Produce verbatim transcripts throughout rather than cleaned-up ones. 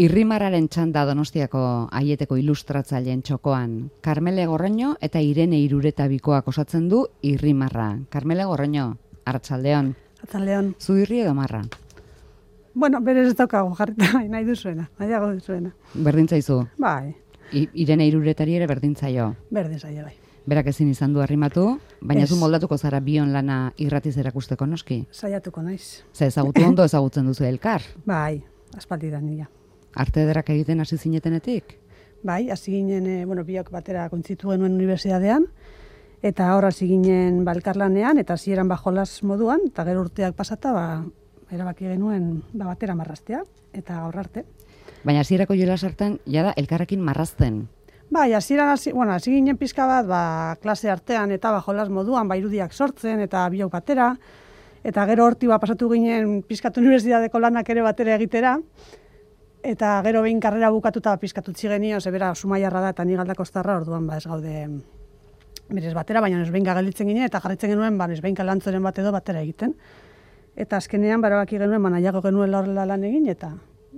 Irrimarraren txanda Donostiako aieteko ilustratzaileen txokoan. Karmele Gorroño eta Irene Irureta bikoak osatzen du Irrimarra. Karmele Gorroño, arratsaldeon. Arratsaldeon. Zu irri edo marra? Bueno, berez ez daukagu jarrita, nahi duzuena, nahiago duzuena. Berdin zaizu? Bai. I, Irene Iruretari ere berdin zaio? Berdin zaio, bai. Berak ezin izan du arrimatu, baina Ez. zu moldatuko zara bion lana irratiz erakusteko noski? Saiatuko naiz. Ze ezagutu ondo ezagutzen duzu elkar? Bai, aspaldidan nila. Arte ederrak egiten hasi zinetenetik? Bai, hasi ginen, e, bueno, biok batera kontzitu genuen unibertsitatean, eta hor hasi ginen balkarlanean, eta hasieran bajolas moduan, eta gero urteak pasata, ba, erabaki genuen ba, batera marraztea, eta gaur arte. Baina hasierako jolas hartan, jada elkarrekin marrazten. Bai, hasieran hasi, bueno, hasi ginen pizka bat, ba, klase artean eta bajolas moduan, ba, irudiak sortzen, eta biok batera, eta gero horti ba, pasatu ginen pizkatu unibertsitateko lanak ere batera egitera, eta gero behin karrera bukatuta pizkatu txigenio, zebera Zumaiarra da eta ni Galdakostarra, orduan ba ez gaude berez batera, baina nesbeinka gelditzen ginen eta jarritzen genuen ba nesbeinka lantzoren bat edo batera egiten. Eta azkenean barabaki genuen ba nahiago genuen horrela lan egin eta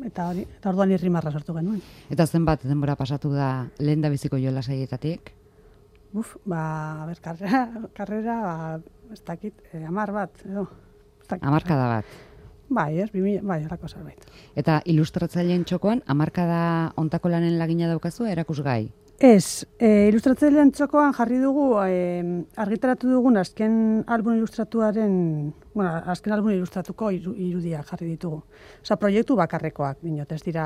eta hori, eta orduan Irrimarra sortu genuen. Eta zenbat denbora pasatu da lehendabiziko jolas haietatik? Uf, ba, a ber, karrera, karrera, ba, ez dakit, eh, hamar bat, edo. Hamarkada bat. Bai, ez, bimila, bai, horako zerbait. Eta ilustratzaileen txokoan, hamarkada ontako lanen lagina daukazu erakusgai? Ez, e, ilustratzaileen txokoan jarri dugu, e, argitaratu dugun azken album ilustratuaren, bueno, azken album ilustratuko iru, irudiak jarri ditugu. Osa, proiektu bakarrekoak, dinot, ez dira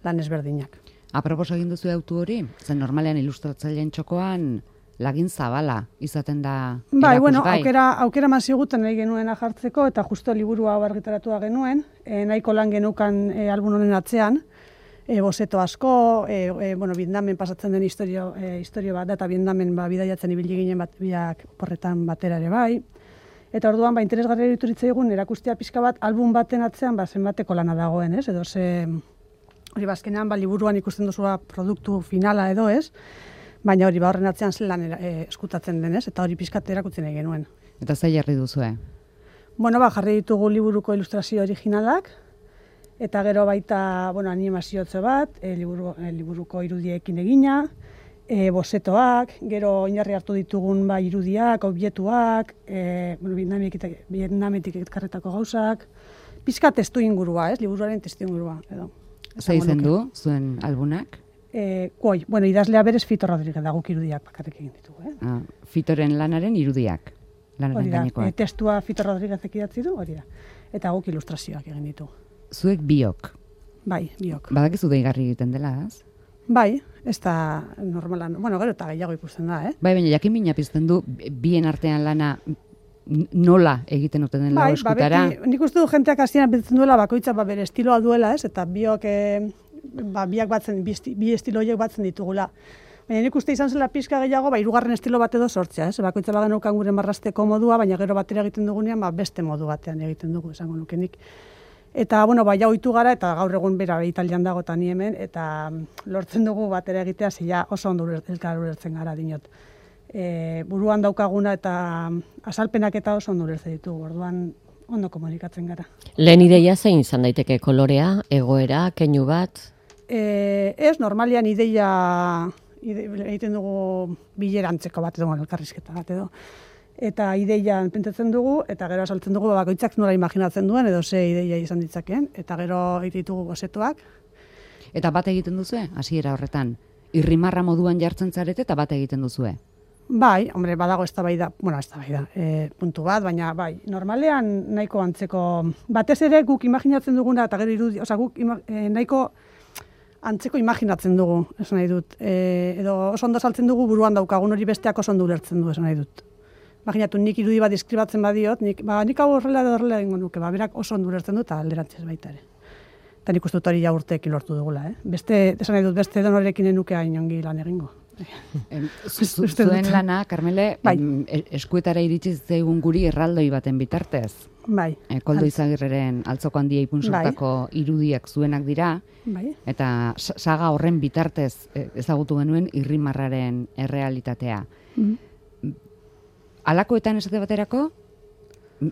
lan ezberdinak. Apropos egin duzu autu hori? Zen normalean ilustratzaileen txokoan lagin zabala izaten da erakusgai. Bai, bueno, aukera, aukera maziguten nahi genuena jartzeko, eta justo liburu hau argitaratua genuen, e, nahiko lan genukan e, album honen atzean, e, bozeto asko, e, e, bueno, Vietnamen pasatzen den historio, e, historio bat da, eta Vietnamen ba, bidaiatzen ibili ginen bat, biak porretan batera ere bai. Eta orduan, ba, interesgarria iruditzen egun, erakustea pixka bat, album baten atzean, ba, zenbateko lana dagoen, ez? Edo ze, hori bazkenean, ba, liburuan ikusten duzua produktu finala edo, ez? Baina hori ba horren atzean zelan e, eskutatzen denez, eta hori pizkat erakutzen nahi genuen. Eta ze jarri duzue? Bueno, ba, jarri ditugu liburuko ilustrazio originalak, eta gero baita, bueno, animaziotzo bat, e, liburu, e, liburuko irudiekin egina, e, bozetoak, gero oinarri hartu ditugun ba, irudiak, objetuak, e, bueno, Vietnametik ekarretako gauzak, pizkat testu ingurua, ez, liburuaren testu ingurua, edo. Ze izen du, zuen albunak? E, koi, bueno, idazlea berez Fito Rodríguez da, guk irudiak bakarrik egin ditugu. Eh? Ah, Fitoren lanaren irudiak, lanaren gainekoak. E, testua Fito Rodríguezek idatzi du, hori da. Eta guk ilustrazioak egin ditugu. Zuek biok. Bai, biok. Badakizu deigarri egiten dela, ez? Bai, ez da normalan, bueno, gero eta gehiago ikusten da, eh? Bai, baina jakin mina pizten du, bien artean lana nola egiten duten den lau eskutara. Bai, ba, nik uste du jenteak hasieran pentsatzen duela bakoitza ba, bere estiloa duela, ez? Eta biok... E, ba, biak batzen, bi, esti, bi estilo horiek batzen ditugula. Baina nik uste izan zela pizka gehiago, ba, hirugarren estilo bat edo sortzea, ez? Bakoitza bagenaukan gure marrasteko modua, baina gero batera egiten dugunean, ba, beste modu batean egiten dugu, esango nukenik. Eta, bueno, ba, ja ohitu gara, eta gaur egun bera Italian dago eta ni hemen, eta lortzen dugu batera egitea, zila oso ondo elkar ulertzen gara dinot. E, buruan daukaguna eta azalpenak eta oso ondo ulertzen ditugu, orduan ondo komunikatzen gara. Lehen ideia zein izan daiteke kolorea, egoera, keinu bat? E, ez, normalian ideia ide, egiten dugu bilerantzeko bat edo, elkarrizketa bat edo. Eta ideian pentsatzen dugu, eta gero asaltzen dugu bakoitzak nola imaginatzen duen, edo ze ideia izan ditzakeen, eta gero egiten ditugu bozetoak. Eta bat egiten duzue, hasiera horretan? Irrimarra moduan jartzen zarete eta bat egiten duzue? Bai, hombre, badago eztabaida, bueno, eztabaida, e, puntu bat, baina bai, normalean nahiko antzeko, batez ere guk imaginatzen duguna, eta gero irudi, oza, guk ima, e, nahiko antzeko imaginatzen dugu, esan nahi dut. E, edo oso ondo saltzen dugu buruan daukagun hori besteak oso ondo ulertzen du, esan nahi dut. Imaginatu, nik irudi bat deskribatzen badiot, nik, ba, nik hau horrela edo horrela egingo nuke, ba, berak oso ondo ulertzen du eta alderantzez baita ere. Eta nik uste dut hori ja urteekin lortu dugula, eh? Beste, esan nahi dut, beste donorekin enuke hain ongi lan egingo. Zuen lana, Karmele, bai. eskuetara iritsi zaigun guri erraldoi baten bitartez. Bai. E, Koldo Izagirreren Altzoko Handia ipunsortako bai. Irudiak zuenak dira, bai. Eta saga horren bitartez ezagutu genuen Irrimarraren errealitatea. Mm. Alakoetan esate baterako,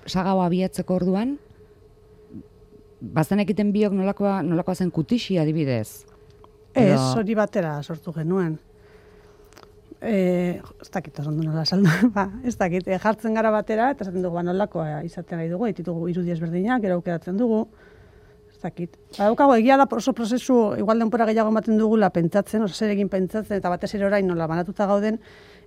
saga hau abiatzeko orduan, bazen egiten biok nolakoa, nolakoa zen kutixi adibidez? Ez, hori batera sortu genuen. E, ez dakit, ondo nola saldu, ba, ez dakit, e, jartzen gara batera, eta esaten dugu, ba, nolakoa izaten nahi dugu, ditugu irudi ezberdinak, gero aukeratzen dugu, ez dakit. Ba, daukago, egia da oso prozesu, igual denpora gehiago ematen dugula pentsatzen, oso zer egin pentsatzen, eta batez ere orain nola banatuta gauden,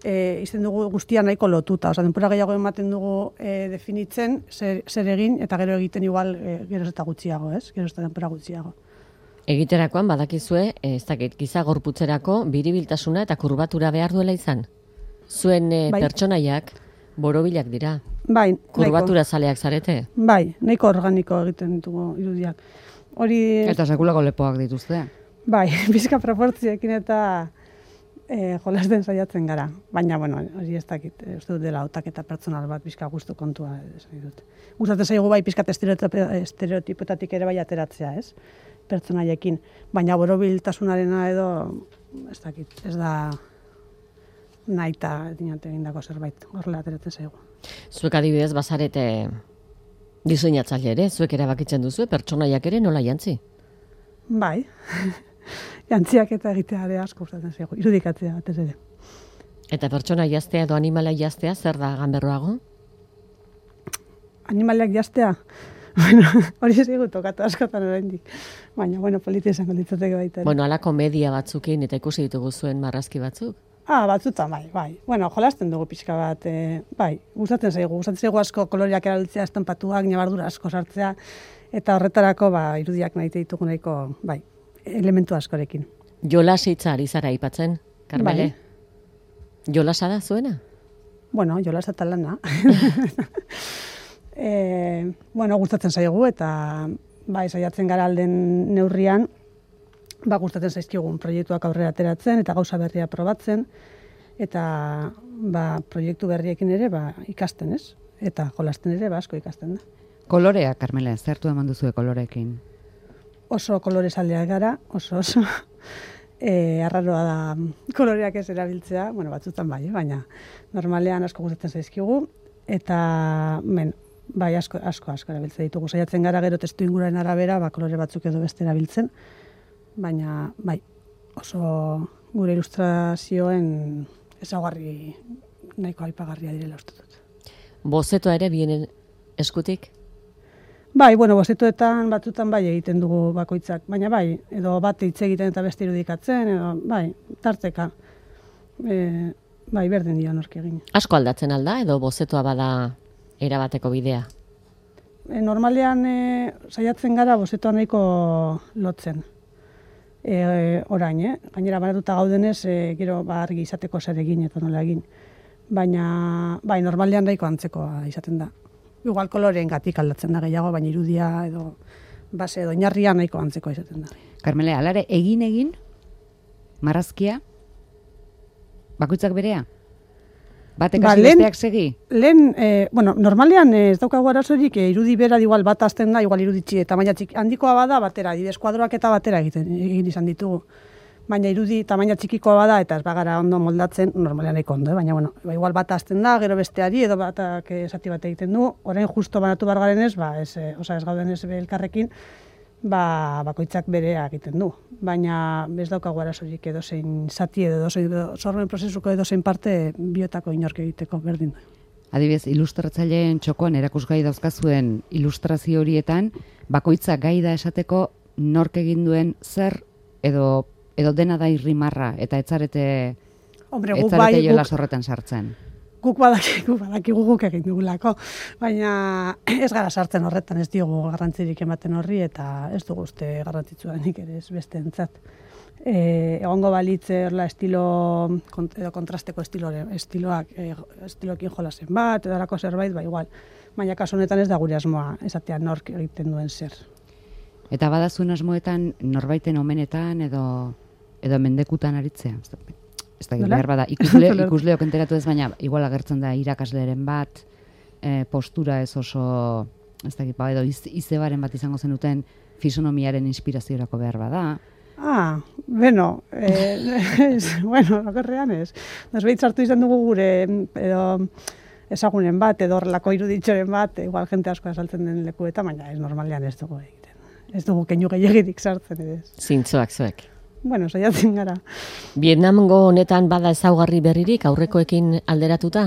e, izten dugu guztia nahiko lotuta, oza, denpora gehiago ematen dugu e, definitzen, zer, zer egin, eta gero egiten igual, e, geroz eta gutxiago, ez? Geroz eta denpora gutxiago. Egiterakoan badakizue, ez dakit, giza gorputzerako biribiltasuna eta kurbatura behar duela izan. Zuen e, bai. Pertsonaiak borobilak dira. Bai, kurbatura zaleak zarete. Bai, nahiko organiko egiten ditugu irudiak. Hori... Eta sekulako lepoak dituzte. Bai, bizka proportziekin eta e, jolasten saiatzen gara. Baina, bueno, hori ez dakit, e, uste dut dela hautaketa pertsonal bat bizka gustu kontua esan dut. Gustatzen zaigu bai pizkat estereotipetatik ere bai ateratzea, ez? Pertsonaiekin, baina borobiltasunarena edo, ez dakit, ez da nahita dinate egindako zerbait, horrela ateratzen zaigu. Zuek adibidez bazarete diseinatzaile ere, zuek erabakitzen duzu, pertsonaiak ere nola jantzi? Bai, jantziak eta egitea ere asko gustatzen zaigu, irudikatzea batez ere. Eta pertsona jaztea edo animala jaztea zer da ganberroago? Animaliak jaztea? Bueno, hori ez dugu tokatu askotan oraindik. Baina, bueno, politia esango litzateke baita. Bueno, ala komedia batzukin eta ikusi ditugu zuen marrazki batzuk? Ah, batzutan, bai, bai. Bueno, jolasten dugu pixka bat, e, bai, gustatzen zaigu. Gustatzen zaigu asko koloriak erabiltzea, estanpatuak, nabardura asko sartzea, eta horretarako, ba, irudiak nahi ditugu nahiko, bai, elementu askorekin. Jolas hitza ari zara aipatzen, Karmele? Bai. Jolasa da zuena? Bueno, jolas eta lana. E, bueno, gustatzen zaigu eta bai, saiatzen gara alden neurrian, ba, gustatzen zaizkigun proiektuak aurrera ateratzen eta gauza berria probatzen eta ba, proiektu berriekin ere ba, ikasten, ez? Eta jolasten ere ba, asko ikasten da. Kolorea, Karmele, zertu eman duzue kolorekin? Oso kolorezaleak gara, oso oso. E, arraroa da koloreak ez erabiltzea, bueno, batzutan bai, baina normalean asko gustatzen zaizkigu eta men, bai, asko, asko, asko erabiltzen ditugu. Saiatzen gara gero testu inguraren arabera, ba, kolore batzuk edo beste erabiltzen, baina, bai, oso gure ilustrazioen ezaugarri nahiko aipagarria direla uste dut. Bozetoa ere bienen eskutik? Bai, bueno, bozetoetan batzutan bai egiten dugu bakoitzak, baina bai, edo bat hitz egiten eta beste irudikatzen, edo bai, tarteka, e, bai, berdin dio nork egin. Asko aldatzen alda, edo bozetoa bada erabateko bidea? E, normalean e, saiatzen gara bozetoa nahiko lotzen. E, orain, eh? Gainera banatuta gaudenez, e, gero ba, argi izateko zer egin eta nola egin. Baina, bai, normalean nahiko antzekoa izaten da. Igual koloreen gatik aldatzen da gehiago, baina irudia edo base edo oinarria nahiko antzekoa izaten da. Karmele, alare, egin egin, marrazkia, bakoitzak berea? Batek Ba, hasi lehen- besteak segi? Lehen, e, bueno, normalean eh, ez daukagu arazorik, e, irudi bera igual bat hasten da, igual iruditxi tamaina txiki handikoa bada batera, adibidez kuadroak eta batera egiten egin izan ditugu. Baina irudi tamaina txikikoa bada eta ez bagara ondo moldatzen, normalean nahiko ondo, eh? Baina bueno, ba, igual bat hasten da, gero besteari edo batak eh, zati bat egiten du. Orain justo banatu bar garenez, ba ez, eh, osea ez gauden ez elkarrekin, ba bakoitzak berea egiten du. Baina ez daukagu arazorik edozein zati edo edozein sormen prozesuko edozein parte biotako inork egiteko berdin du. Adibidez, ilustratzaileen txokoan erakusgai dauzkazuen ilustrazio horietan, bakoitzak gai da esateko nork egin duen zer edo edo dena da irrimarra eta etzarete Hombre, guk etzarete bai, jola guk, horretan sartzen. guk badakigu, badakigu guk egin dugulako, baina ez gara sartzen horretan, ez diogu garrantzirik ematen horri eta ez dugu uste garrantzitsuanik ere ez besteentzat. E, egongo balitze horla estilo, kont, edo kontrasteko estilore, estiloak, e, estilokin jolasen bat, edo halako zerbait, ba igual. Baina kasu honetan ez da gure asmoa, esatea nork egiten duen zer. Eta bada zuen asmoetan norbaiten omenetan edo edo mendekutan aritzea. Ez da, ez da Nola? behar bada ikusle, ikusleok enteratu ez, baina igual agertzen da irakasleren bat, e, postura ez oso, ez da, ba, edo iz, izebaren bat izango zenuten fisonomiaren inspiraziorako behar bada. Ah, beno, eh, ez, bueno, okerrean ez. Nosbait sartu izan dugu gure edo ezagunen bat, edo horrelako iruditxoren bat, igual jente asko azaltzen den lekuetan, baina ez normalean ez dugu egiten. ez dugu keinu gehiagirik sartzen ere. Zintzoak zuek. Bueno, saiatzen gara. Vietnamgo honetan bada ezaugarri berririk aurrekoekin alderatuta?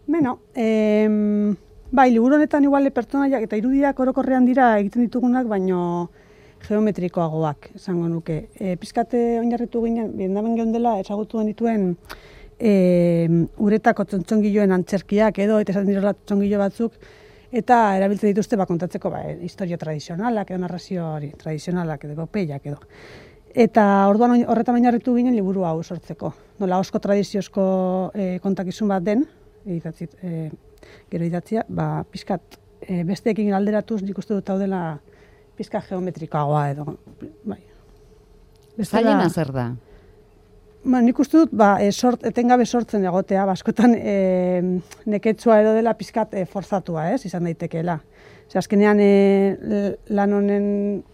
Beno, em, bai, liburu honetan igual pertsonaiak eta irudiak orokorrean dira egiten ditugunak, baino geometrikoagoak, esango nuke. E, pizkate oinarritu ginen, Vietnamen geundela, ezagutu genituen e, uretako txontxongiloen antzerkiak edo, eta esaten direla txontxongilo batzuk, eta erabiltzen dituzte ba, kontatzeko ba, historio tradizionalak edo narrazio hori, tradizionalak edo epopeiak edo. Eta orduan horretan oinarritu ginen liburu hau sortzeko. Nola osko tradiziozko e, kontakizun bat den, idatzit, e, gero idatzia, ba, pizkat e, besteekin alderatuz nik uste dut hau dela pizka geometrikoagoa edo. Bai. Zailena zer da? Ba, nik uste dut ba, e, sort, etengabe sortzen egotea, baskotan e, neketsua edo dela pizkat e, forzatua, ez, izan daitekeela. Ze azkenean e, lan honen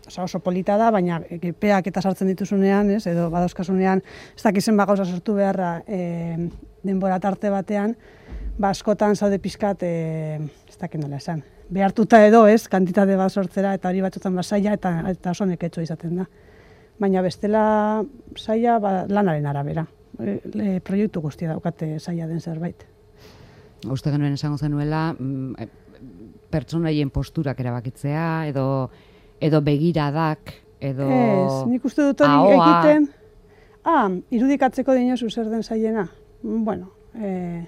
oza, oso polita da, baina epeak eta sartzen dituzunean, ez, edo badauzkasunean, ez dakizen ba gauza sortu beharra e, denbora tarte batean, ba askotan zaude pizkat, e, ez dakit nola esan, behartuta edo, ez, kantitate bat sortzera, eta hori batzutan ba saia eta, eta oso neketsua izaten da. Baina bestela saia ba, lanaren arabera. E, e, proiektu guztia daukate saia den zerbait. Uste genuen esango zenuela, mm, pertsonaien posturak erabakitzea, edo, edo begiradak, edo Ez, nik uste dut hori ahoa. egiten, ah, irudikatzeko dinozu zer den saiena. Bueno, eh,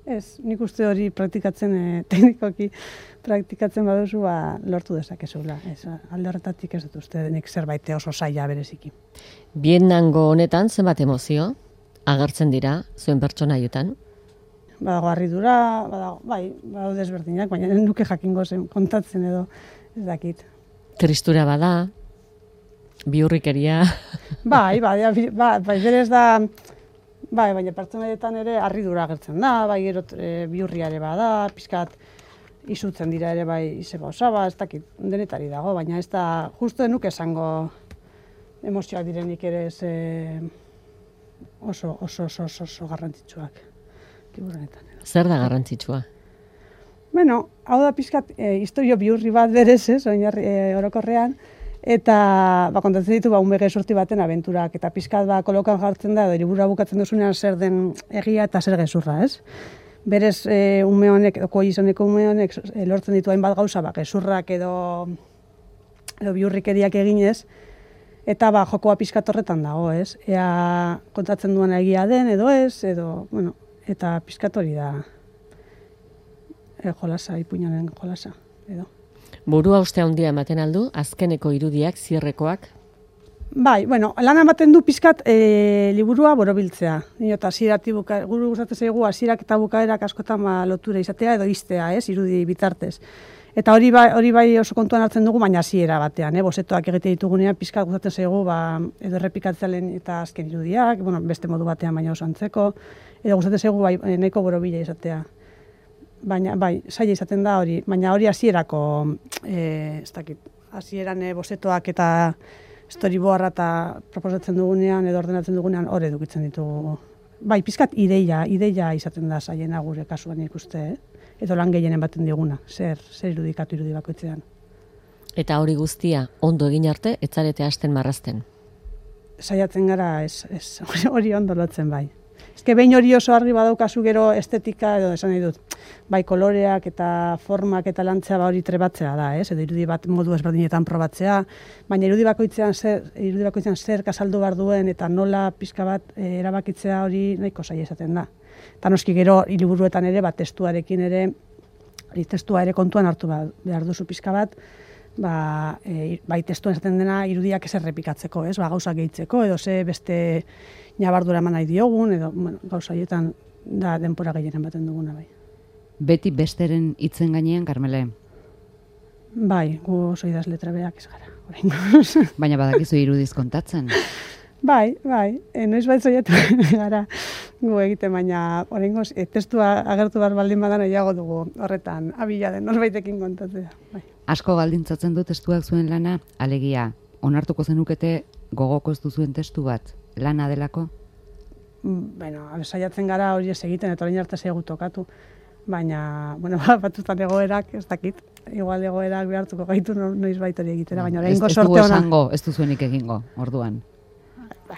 ez, nik uste hori praktikatzen, eh, teknikoki praktikatzen baduzu, ba, lortu dezakezula. Ez, alde horretatik ez dut uste nik zerbait oso saia bereziki. Vietnamgo honetan zenbat emozio agertzen dira zuen pertsonaiotan? Badago harridura, badago, bai, badago desberdinak, baina nuke jakingo zen kontatzen edo ez dakit. Tristura bada, bihurrikeria. Bai, bai, bai, bai, berez da, bai, baina pertsonaietan ere harridura agertzen da, bai, gero e, bihurria ere bada, pizkat izutzen dira ere bai izeba osaba, ez dakit, denetari dago, baina ez da, justu nuke esango emozioak direnik ere ez e, oso, oso, oso, oso, oso garrantzitsuak. Liburunetan. Zer da garrantzitsua? Bueno, hau da pizkat e, historio bihurri bat berez, ez, oinarri e, orokorrean, eta ba, kontatzen ditu ba, unbege sorti baten abenturak, eta pizkat ba, kolokan jartzen da, edo liburua bukatzen duzunean zer den egia eta zer gezurra, ez? Berez, e, ume honek, oko izoneko ume honek e, lortzen ditu hainbat gauza, ba, gezurrak edo, edo bihurrikeriak eginez, eta ba, jokoa pizkat horretan dago, ez? Ea kontatzen duena egia den, edo ez, edo, bueno, eta pizkat hori da e, jolasa, ipuinaren jolasa, edo. Burua uste handia ematen aldu, azkeneko irudiak, zierrekoak? Bai, bueno, lan ematen du pizkat e, liburua borobiltzea. Nio, eta hasieratik buka, guru gustatzen zaigu hasierak eta bukaerak askotan ba, lotura izatea edo iztea, ez, irudi bitartez. Eta hori bai, hori bai oso kontuan hartzen dugu, baina hasiera batean, eh, bozetoak egite ditugunean pizkat gustatzen zaigu ba, edo errepikatzea lehen eta azken irudiak, bueno, beste modu batean baina oso antzeko, edo gustatzen zaigu bai, nahiko borobila izatea. Baina, bai, saia izaten da hori, baina hori hasierako, eh, ez dakit, hasieran eh, bozetoak eta storyboarda eta proposatzen dugunean edo ordenatzen dugunean hor edukitzen ditugu. Bai, pizkat ideia, ideia izaten da saiena gure kasuan ikuste, eh? Edo lan gehienen baten diguna, zer, zer irudikatu irudi bakoitzean. Eta hori guztia ondo egin arte, etzarete hasten marrazten. Saiatzen gara, ez, ez, hori ondo lotzen bai. Ezke behin hori oso argi badaukazu gero estetika, edo esan nahi dut, bai koloreak eta formak eta lantzea ba hori trebatzea da, ez? Edo irudi bat modu ezberdinetan probatzea, baina irudi bakoitzean zer, irudi bakoitzean zer kasaldu behar duen eta nola pizka bat e, erabakitzea hori nahiko zaila izaten da. Eta noski gero liburuetan ere, bat testuarekin ere, testua ere kontuan hartu behar duzu pizka bat, ba, e, bai testuan esaten dena irudiak ez errepikatzeko, ez? Ba, gauza gehitzeko, edo ze beste nabardura eman nahi diogun, edo bueno, gauza haietan da denpora gehienen baten duguna bai. Beti besteren hitzen gainean, Karmele? Bai, gu oso idazle trebeak ez gara, oraingoz. Baina badakizu irudiz kontatzen. Bai, bai, e, noiz bait zoietu gara gu egiten, baina oraingoz e, testua agertu behar baldin badan nahiago dugu horretan abila den norbaitekin kontatzea. Bai. Asko baldintzatzen du testuak zuen lana, alegia, onartuko zenukete gogoko ez duzuen testu bat, lana delako? Bueno, saiatzen gara hori ez egiten, eta orain arte zaigu tokatu, baina, bueno, batzutan egoerak ez dakit, igual egoerak behartuko gaitu no- noiz hori egitera, baina Ez, oraingo ez sorte dugu ona. esango, ez duzuenik egingo, orduan.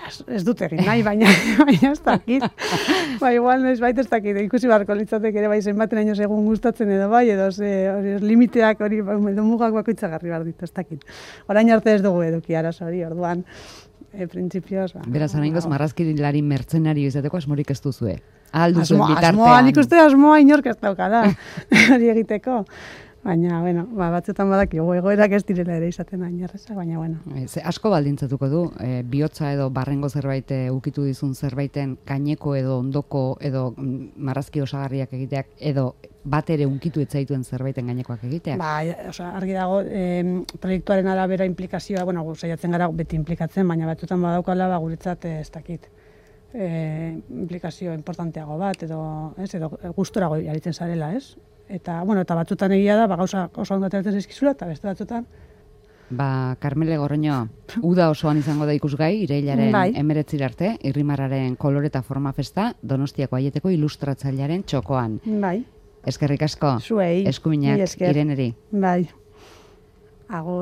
Ez, ez dut egin nahi, baina, baina ez dakit. Ba, igual noiz baita ez dakit, ikusi barko litzatek ere bai zenbaten ainoz egun gustatzen edo bai, edo ze, hori, limiteak hori, edo mugak bakoitzagarri behar ditu, ez dakit. Orain arte ez dugu eduki arazo hori, orduan, e, printzipioz, ba. Beraz, oraingoz marrazkilari mertzenario izateko asmorik ez duzue. Ahal duzuen Asmoa, bitartean. asmoa, nik uste asmoa inork ez daukala, hori egiteko. Baina, bueno, ba, batzutan badakigu egoerak ez direla ere izaten hain erreza, baina, bueno. E, Ze asko baldintzatuko du, e, bihotza edo barrengo zerbait e, ukitu dizun zerbaiten gaineko edo ondoko edo mm, marrazki osagarriak egiteak edo bat ere unkitu etzaituen zerbaiten gainekoak egiteak. Ba, osea, argi dago, eh, proiektuaren arabera implikazioa, bueno, gu saiatzen gara beti implikatzen, baina batzutan badaukala ba guretzat eh, ez dakit. Eh, implikazio importanteago bat edo, ez, edo gustorago aritzen zarela, ez? Eta, bueno, eta batzutan egia da, ba gauza oso ondo ateratzen zaizkizula, eta beste batzutan Ba, Carmele Gorroño, uda osoan izango da ikusgai, irailaren Bai. emeretzira arte, Irrimarraren kolore eta forma festa, Donostiako Aieteko ilustratzailearen txokoan. bai, Eskerrik asko, zuei, eskuminak mila esker. Ireneri. Bai. Agur.